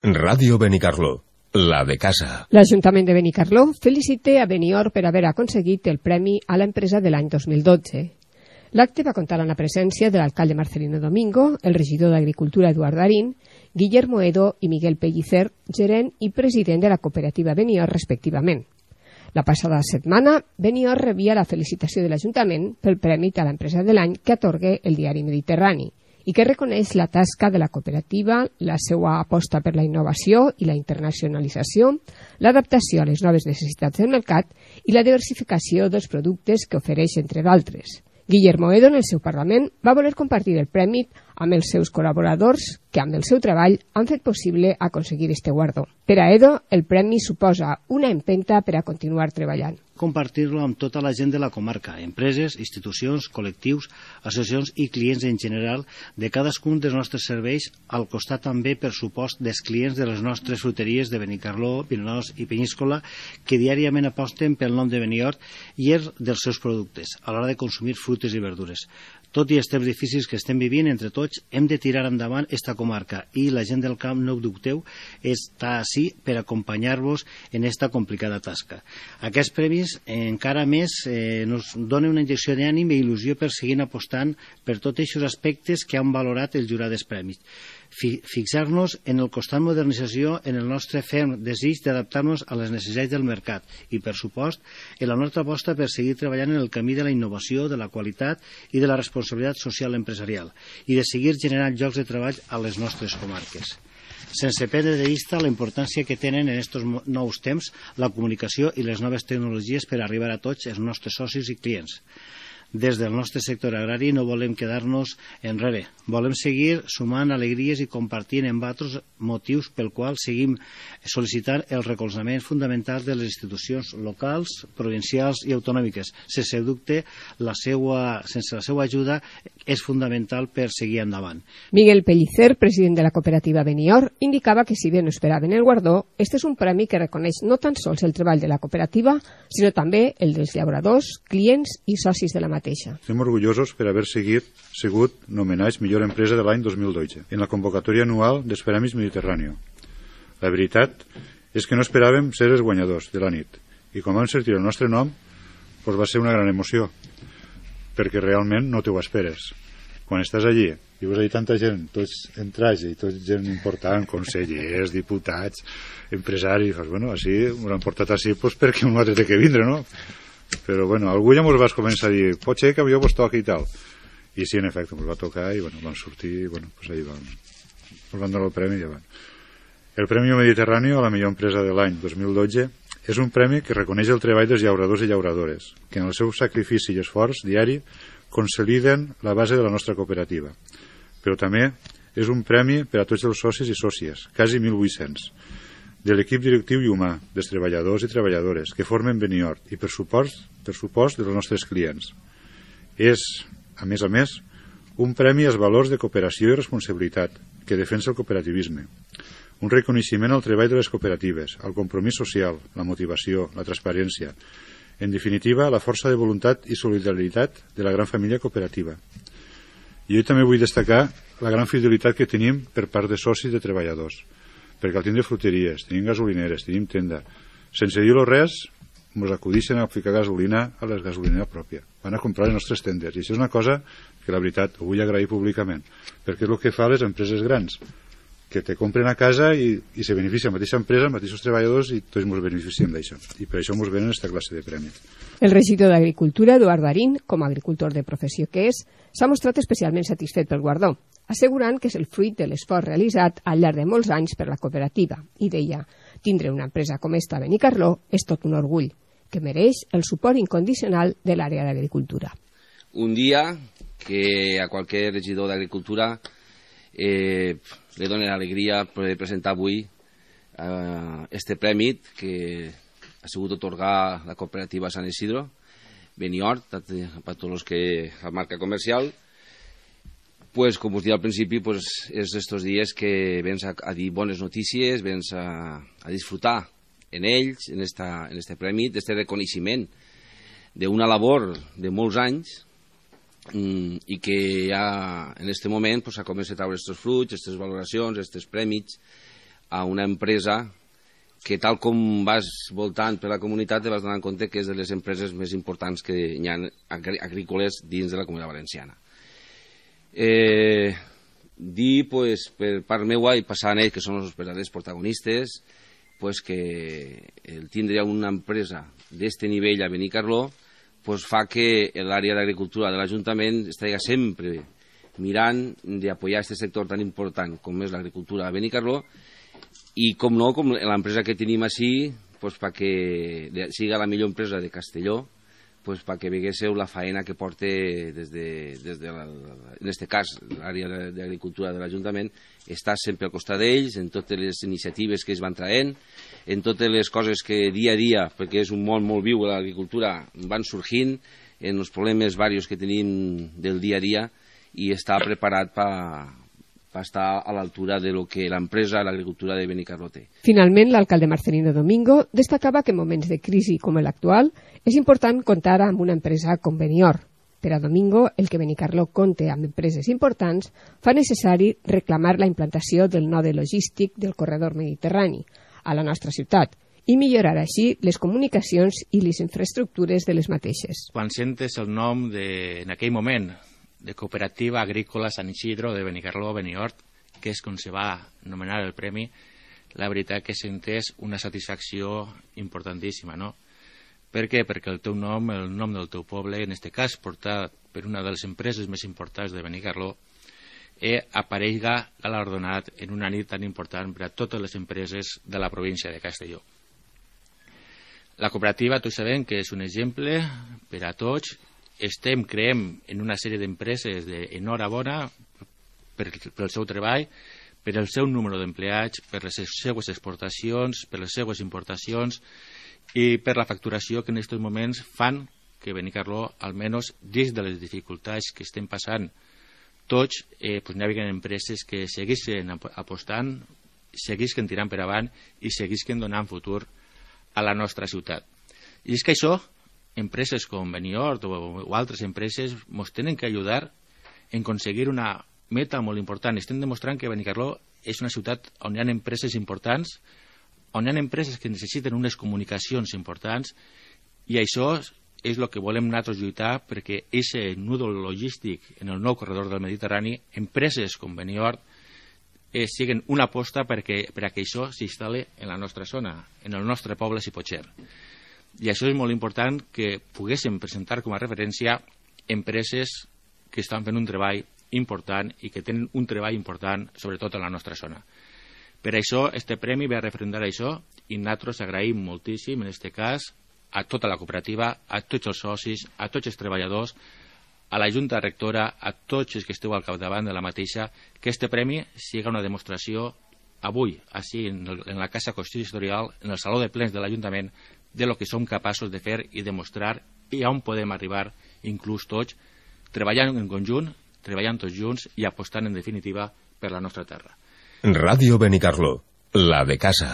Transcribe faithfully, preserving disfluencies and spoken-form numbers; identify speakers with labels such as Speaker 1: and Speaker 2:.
Speaker 1: Ràdio Benicarló, la de casa.
Speaker 2: L'Ajuntament de Benicarló felicita a Benior per haver aconseguit el premi a l'empresa de l'any dos mil dotze. L'acte va comptar amb la presència de l'alcalde Marcelino Domingo, el regidor d'Agricultura Eduard Darín, Guillermo Edo i Miguel Pellicer, gerent i president de la cooperativa Benior, respectivament. La passada setmana, Benior rebia la felicitació de l'Ajuntament pel premi a l'empresa de l'any que atorga el diari Mediterrani i que reconeix la tasca de la cooperativa, la seva aposta per la innovació i la internacionalització, l'adaptació a les noves necessitats del mercat i la diversificació dels productes que ofereix, entre d'altres. Guillermo Edo, en el seu Parlament, va voler compartir el premi amb els seus col·laboradors que, amb el seu treball, han fet possible aconseguir este guardó. Per a Edo, el premi suposa una empenta per a continuar treballant.
Speaker 3: Compartir-lo amb tota la gent de la comarca, empreses, institucions, col·lectius, associacions i clients en general de cadascun dels nostres serveis, al costat també, per supost, dels clients de les nostres fruteries de Benicarló, Vinaròs i Penyíscola, que diàriament aposten pel nom de Benior i els dels seus productes, a l'hora de consumir fruites i verdures. Tot i els temps difícils que estem vivint, entre tots, hem de tirar endavant esta comarca i la gent del camp, no ho dubteu, està ací per acompanyar-vos en esta complicada tasca. Aquests premis encara més eh, nos donen una injecció d'ànim i il·lusió per seguir apostant per tots aquests aspectes que han valorat el jurat dels premis. Fixar-nos en el constant modernització, en el nostre ferm desig d'adaptar-nos a les necessitats del mercat i, per supost, en la nostra aposta per seguir treballant en el camí de la innovació, de la qualitat i de la responsabilitat social empresarial i de seguir generant llocs de treball a les nostres comarques. Sense perdre de vista la importància que tenen en aquests nous temps la comunicació i les noves tecnologies per arribar a tots els nostres socis i clients. Des del nostre sector agrari no volem quedar-nos enrere. Volem seguir sumant alegries i compartint amb altres motius pel qual seguim sol·licitant el recolzament fundamental de les institucions locals, provincials i autonòmiques. Sense dubte, la seva, sense la seva ajuda és fundamental per seguir endavant.
Speaker 2: Miguel Pellicer, president de la cooperativa Benior, indicava que si bé no esperaven el guardó, este és un premi que reconeix no tan sols el treball de la cooperativa, sinó també el dels llauradors, clients i socis de la mateixa.
Speaker 4: Estem orgullosos per haver seguit, sigut nomenats millor empresa de l'any dos mil dotze en la convocatòria anual dels Premis Mediterrani. La veritat és que no esperàvem ser els guanyadors de la nit i quan vam sentir el nostre nom doncs va ser una gran emoció perquè realment no t'ho esperes. Quan estàs allí i veus allà tanta gent, tots en traje i tots gent important, consellers, diputats, empresaris, doncs, bueno, així, ho han portat així doncs, perquè un altre té que vindre, no? Però bueno, algú ja ens vas començar a dir pot ser que jo vos toqui i tal i sí, en efecte, ens va tocar i bueno, vam sortir i bueno, pues ahí vam ens van donar el premi i ja van. El Premi Mediterrani a la millor empresa de l'any dos mil dotze és un premi que reconeix el treball dels llauradors i llauradores que en el seu sacrifici i esforç diari consoliden la base de la nostra cooperativa, però també és un premi per a tots els socis i sòcies, quasi mil vuit-cents, de l'equip directiu i humà, dels treballadors i treballadores que formen Benior i per supost, per supost dels nostres clients. És, a més a més, un premi als valors de cooperació i responsabilitat que defensa el cooperativisme, un reconeixement al treball de les cooperatives, al compromís social, la motivació, la transparència, en definitiva, la força de voluntat i solidaritat de la gran família cooperativa. I jo també vull destacar la gran fidelitat que tenim per part de socis de treballadors, perquè al tindre fruteries, tenim gasolineres, tenim tenda. Sense dir-lo res, ens acudixen a ficar gasolina a les gasolineres pròpies. Van a comprar les nostres tendes. I això és una cosa que, la veritat, ho vull agrair públicament, perquè és el que fa les empreses grans, que te compren a casa i, i se beneficia la mateixa empresa, els mateixos treballadors, i tots ens beneficiem d'això. I per això ens venen aquesta classe de premis.
Speaker 2: El regidor d'Agricultura, Eduard Darín, com a agricultor de professió que és, s'ha mostrat especialment satisfet pel guardó, assegurant que és el fruit de l'esforç realitzat al llarg de molts anys per la cooperativa. I deia, tindre una empresa com esta a Benicarló és tot un orgull, que mereix el suport incondicional de l'àrea d'agricultura.
Speaker 5: Un dia que a qualsevol regidor d'Agricultura eh, li dona l'alegria de presentar avui eh, este premi que ha sigut otorgar la cooperativa Sant Isidro, Benior, per a tots els que la marca comercial. Pues, com us dic al principi, pues, és estos dies que vens a, a dir bones notícies, vens a, a disfrutar en ells, en, esta, en este premi, d'este reconeixement d'una labor de molts anys mm, i que ja en este moment pues, s'ha començat a treure estos fruits, aquestes valoracions, aquests premis a una empresa que, tal com vas voltant per la comunitat, te vas donar compte que és de les empreses més importants que hi ha agrícoles dins de la Comunitat Valenciana. Eh, dir, pues, per part meua, i passar a ells, que són els verdaders protagonistes, pues, que el tindre una empresa d'este nivell a Benicarló pues, fa que l'àrea d'agricultura de l'Ajuntament estigui sempre mirant d'apoyar aquest sector tan important com és l'agricultura a Benicarló, i com no, com l'empresa que tenim així, pues, perquè siga la millor empresa de Castelló, pues, perquè veguéssiu la faena que porta des de, des de la, en aquest cas l'àrea d'agricultura de l'Ajuntament, està sempre al costat d'ells en totes les iniciatives que es van traient, en totes les coses que dia a dia, perquè és un món molt viu l'agricultura, van sorgint, en els problemes diversos que tenim del dia a dia, i està preparat per per estar a l'altura de lo que l'empresa, l'agricultura de Benicarló té.
Speaker 2: Finalment, l'alcalde Marcelino Domingo destacava que en moments de crisi com l'actual és important comptar amb una empresa com Benior. Per a Domingo, el que Benicarló compte amb empreses importants fa necessari reclamar la implantació del node logístic del corredor mediterrani a la nostra ciutat i millorar així les comunicacions i les infraestructures de les mateixes.
Speaker 6: Quan sentes el nom de, en aquell moment, de Cooperativa Agrícola San Isidro de Benicarló Beniort, que és com se va anomenar el premi, la veritat que sentes una satisfacció importantíssima, no? Per què? Perquè el teu nom, el nom del teu poble, en aquest cas portat per una de les empreses més importants de Benicarló, eh, aparega galardonat en una nit tan important per a totes les empreses de la província de Castelló. La cooperativa, tots sabem que és un exemple per a tots. Estem, creem, en una sèrie d'empreses d'enhorabona per, per el seu treball, per el seu número d'empleats, per les seues exportacions, per les seues importacions i per la facturació que en aquests moments fan que Benicarló, almenys dins de les dificultats que estem passant tots, eh, pues, n'hi havia empreses que seguisquen apostant, seguisquen tirant per avant i seguisquen donant futur a la nostra ciutat. I és que això, empreses com Beniort o, o altres empreses ens tenen que ajudar en aconseguir una meta molt important. Estem demostrant que Benicarló és una ciutat on hi ha empreses importants, on hi ha empreses que necessiten unes comunicacions importants, i això és el que volem nosaltres lluitar perquè aquest nudo logístic en el nou corredor del Mediterrani, empreses com Beniort, eh, siguin una aposta perquè, per a que això s'instal·li en la nostra zona, en el nostre poble, si pot ser. I això és molt important que poguéssim presentar com a referència empreses que estan fent un treball important i que tenen un treball important, sobretot a la nostra zona. Per això, este premi ve a referendar això i nosaltres agraïm moltíssim, en aquest cas, a tota la cooperativa, a tots els socis, a tots els treballadors, a la Junta Rectora, a tots els que esteu al capdavant de la mateixa, que este premi sigui una demostració avui, així, en, el, en la Casa Consistorial, en el Saló de Plens de l'Ajuntament, de lo que som capaços de fer i demostrar i on podem arribar, inclús tots, treballant en conjunt, treballant tots junts i apostant, en definitiva, per la nostra terra.
Speaker 1: Ràdio Benicarló, la de casa.